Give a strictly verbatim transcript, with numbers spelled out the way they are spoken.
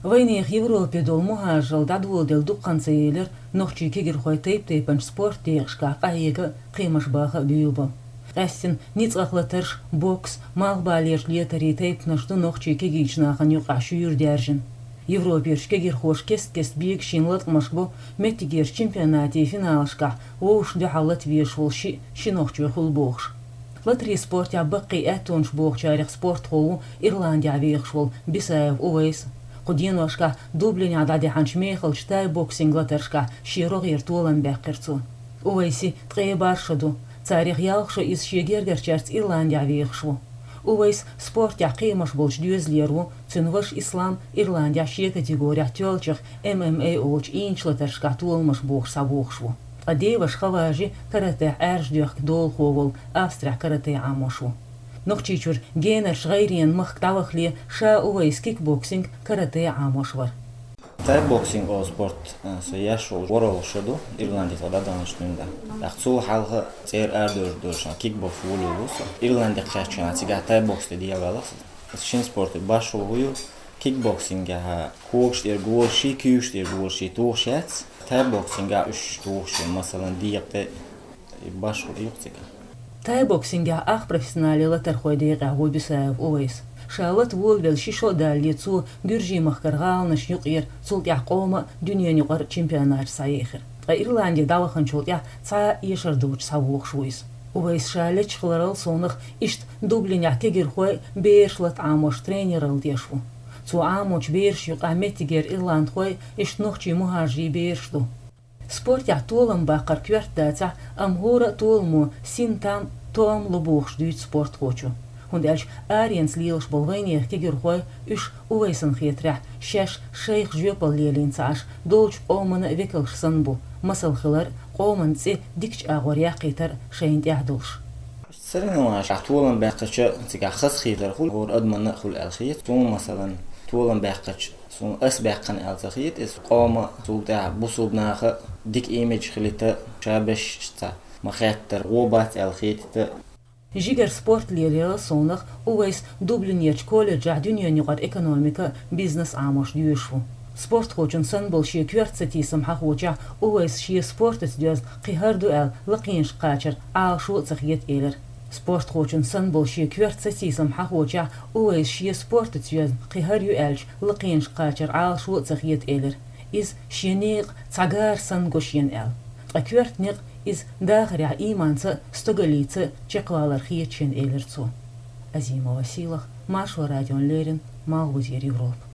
Вайнех Европе долу мухӀажаралла дӀадоладелла дукха хан ца елира, нохчийн кегирхой тайп-тайпанчу спорт декъашкахь къахьега а, кхиамаш баха а буьйлабо. Къаьстина ницкъах латарш, бокс, малхбалерчу летарийн тайпанаш ду нохчийн кегийчу нахана юкъахь шуьйра даьржина. Европерчу кегирхоша кест-кеста бегаш йина латкъамаш бо, меттигерчу чемпионатийн финалашкахь вовшашна дуьхьал лата везаш волу шиъ ши нохчо хуьлу бохуш. Латарийн спортехь баккхий аьттонаш бохучарех спортхо ву Ирландехь вехаш волу Бисаев Увайс. Кху деношкахь Дублинехь дӀадаьхьначу мехалчу тай-боксинг латаршкахь шен рогӀера толам баьккхира цо. Увайси ткъе бархӀ шо ду. Царех ялх шо иза шен гергарчаьрца Ирландехь вехаш ву. Увайс спортехь кхиамаш болчу доьзалера ву, цуьнан ваша Ислам Ирландехь шен категорехь тоьллачех М М А олучу ийначу латаршкахь толамаш бохуш схьавогӀуш ву. Ткъа деваша Хаважи каратехь Ӏаьржа доьхку долахо волу Австрехь карате Ӏамош ву. Нохчийчуьра генарчу гӀайренан махка дӀавахале ша Увайс кикбоксинг, карате Ӏамош вара. Тайбоксинг олу спорт, а, со еш волу ворхӀалгӀа шо ду, Ирландехь со дӀадаханчу дуьйна. ТӀаккха цул хьалха цӀера арадевр долуш кикбокс волийла ву со. Ирландехь кхаьчча цигахь тайбокс тӀе дӀаваьлла со. Шина спорте башхалла ву ю, кикбоксингехь когаш тӀера гӀолашший, куьйгаш тӀера гӀолашший тухуш яц. Тайбоксингехь уьш тухуш ю, масалан, декъа тӀе, и башхалла ю цигахь. Тайбоксингехь ах профессионале латархойн декъехь ву Бисаев Увайс. Ша лата волавелла ши шо а далале, цо Гуьржийн-махкара гӀаланашна юкъара, цул тӀаьхьа къоман а, дуьненан юкъара а чемпионаташ схьаехира. Ткъа Ирланде дӀаваханчул тӀаьхьа цхьа а эшар доцуш схьавогӀуш ву иза. Увайс ша лечкъа хиларал совнах иштта Дублинехь кегирхой, бераш лата Ӏамош тренералла деш ву. Цо Ӏамочу берашна юкъахь меттигера ирландхой, иштта нохчийн мухӀажарийн бераш ду. Спортехь толам баккхар коьрта дацахь, амма хӀора а толамо син там, тоам ло бохуш дуьйцу спортхочо. ХӀунда аьлча аренца лелаш болу вайнехан кегирхой, уьш, Увайсана хетарехь, шаьш шайх жоьпалла лелийна ца Ӏаш, долчу къоманна а векалш санна бу, масал хилар а, къоман цӀе дикачу агӀор яккхийтар а шайна тӀехь долуш. Соревнованешкахь толам баьккхича, цигахь хазахетар хуьлу, хӀора адамна а хуьлу аьлла хета. Суна, масалан, толам баьккхича, суна ас баьккхина аьлла ца хета иза. Къоман, цул тӀаьхьа бусулба наха дика имидж хилийта, ша беш цхьа ма-хеттара гӀо бац аьлла хетийта. Жигара спорт лелаярал совнах Увайс Дублинерчу колледжехь дуьненан юкъара экономика а, бизнес а Ӏамош доьшуш ву. Спортхочун санна болу шен коьрта сатийсам хьахочехь, Увайса шен спортаца доьзна кхин хӀара ду аьлла лакхенашка кхачар Ӏалашо а ца хета элира. Спортхочун санна болу шен коьрта сатийсам хьахочехь, Увайса шен спортаца йоьзна кхин хӀара ю аьлча, лакхенашка кхачар Ӏалашо а ца хета элира. Иза шен некъа цхьа гара санна го шена аьлла. Ткъа коьрта некъ иза дахарехь ийманца а, стогаллица а чекхвалар хета шена элира цо. Азимова Сийлаха, Маршо радиона леррина, Малхбузера Европа.